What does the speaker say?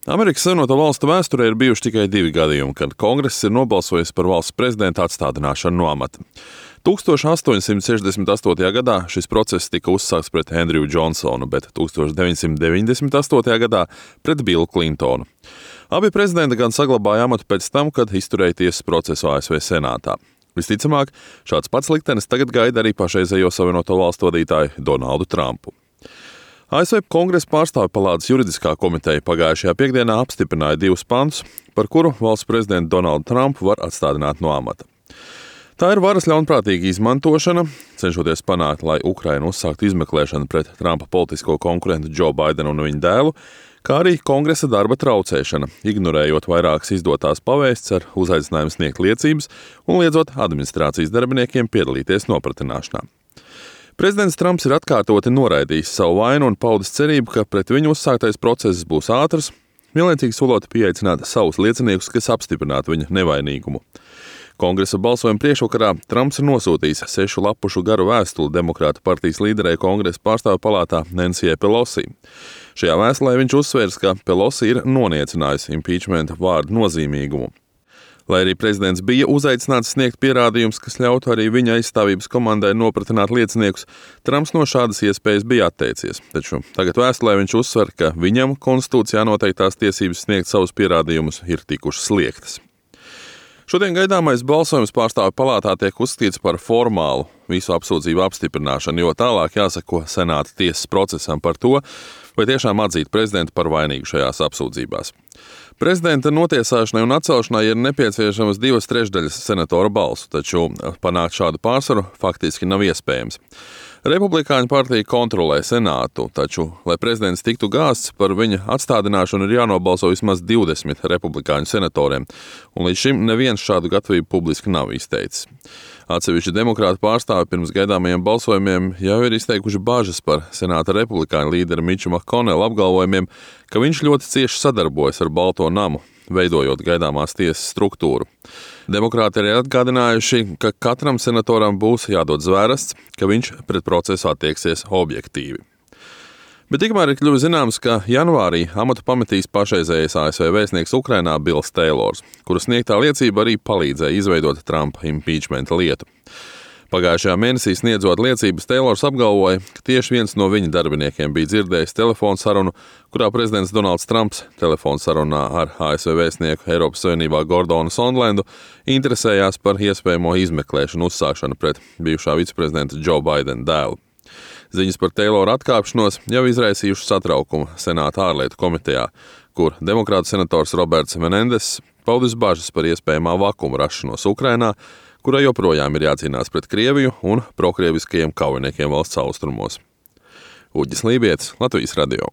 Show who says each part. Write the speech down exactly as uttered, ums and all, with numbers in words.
Speaker 1: Amerikas Savienoto Valstu vēsturē ir bijuši tikai divi gadījumi, kad Kongress ir nobalsojis par valsts prezidenta atstādināšanu no amata. tūkstoš astoņsimt sešdesmit astotajā gadā šis process tika uzsākts pret Andrew Johnsonu, bet tūkstoš deviņsimt deviņdesmit astotajā gadā pret Billu Clintonu. Abi prezidenti gan saglabāja amatu pēc tam, kad izturēja tiesas procesu A S V Senātā. Visticamāk, šāds pats liktenis tagad gaida arī pašreizējo Savienoto Valstu vadītāju Donaldu Trumpu. A S V Kongresa pārstāvju palātas juridiskā komiteja pagājušajā piekdienā apstiprināja divus pantus, par kuru valsts prezidentu Donaldu Trumpu var atstādināt no amata. Tā ir varas ļaunprātīga izmantošana, cenšoties panākt, lai Ukraina uzsāktu izmeklēšanu pret Trumpa politisko konkurentu Joe Bidenu un viņa dēlu, kā arī Kongresa darba traucēšana, ignorējot vairākas izdotās pavēstis ar uzaicinājumu sniegt liecības un liedzot administrācijas darbiniekiem piedalīties nopratināšanā. Prezidents Trumps ir atkārtoti noraidījis savu vainu un paudis cerību, ka pret viņu uzsāktais process būs ātrs, vienlaicīgi solot pieaicināt savus lieciniekus, kas apstiprinātu viņa nevainīgumu. Kongresa balsojuma priekšvakarā Trumps ir nosūtījis sešu lapušu garu vēstuli Demokrātu partijas līderei Kongresa pārstāvju palātā Nancyjai Pelosī. Šajā vēstulē viņš uzsvērs, ka Pelosi ir noniecinājusi impeachmenta vārdu nozīmīgumu. Lai arī prezidents bija uzaicināts sniegt pierādījumus, kas ļautu arī viņa aizstāvības komandai nopratināt lieciniekus, Trumps no šādas iespējas bija atteicies. Taču tagad vēstulē viņš uzsver, ka viņam konstitūcijā noteiktās tiesības sniegt savus pierādījumus ir tikušas liektas. Šodien gaidāmais balsojums pārstāvju palātā tiek uzskatīts par formālu visu apsūdzību apstiprināšanu, jo tālāk jāsako Senāta tiesas procesam par to, vai tiešām atzīt prezidentu par vainīgu šajās apsūdzībās. Prezidenta notiesāšanai un atcelšanai ir nepieciešamas divas trešdaļas senatora balsu, taču panākt šādu pārsvaru faktiski nav iespējams. Republikāņu partija kontrolē Senātu, taču, lai prezidents tiktu gāsts, par viņa atstādināšanu ir jānobalso vismaz divdesmit republikāņu senatoriem, un līdz šim neviens šādu gatavību publiski nav izteicis. Atsevišķi demokrātu pārstāvi pirms gaidāmajiem balsojumiem jau ir izteikuši bažas par Senāta republikāņu līderi Miču Makkonela apgalvojumiem, ka viņš ļoti cieši sadarbojas ar Balto namu, veidojot gaidāmās tiesas struktūru. Demokrāti arī atgādinājuši, ka katram senatoram būs jādod zvērsts, ka viņš pret procesu attieksies objektīvi. Bet tikmēr ir kļuvis zināms, ka janvārī amatu pametīs pašreizējais A S V vēstnieks Ukrainā Bills Taylors, kura sniegtā liecība arī palīdzēja izveidot Trumpa impeachmenta lietu. Pagājušajā mēnesī sniedzot liecības, Taylors apgalvoja, ka tieši viens no viņa darbiniekiem bija dzirdējis telefonu sarunu, kurā prezidents Donalds Trumps telefonu sarunā ar A S V vēstnieku Eiropas Savienībā Gordonu Sondlendu interesējās par iespējamo izmeklēšanu uzsākšanu pret bijušā viceprezidenta Joe Bidena dēlu. Ziņas par Taylora atkāpšanos jau izraisījuši satraukumu Senāta ārlietu komitejā, kur demokrātu senators Roberts Menendess paudis bažas par iespējamā vakuma rašanos Ukrainā, kurai joprojām ir jācīnās pret Krieviju un prokrieviskajiem kaujiniekiem valsts austrumos. Uģis Lībietis, Latvijas radio.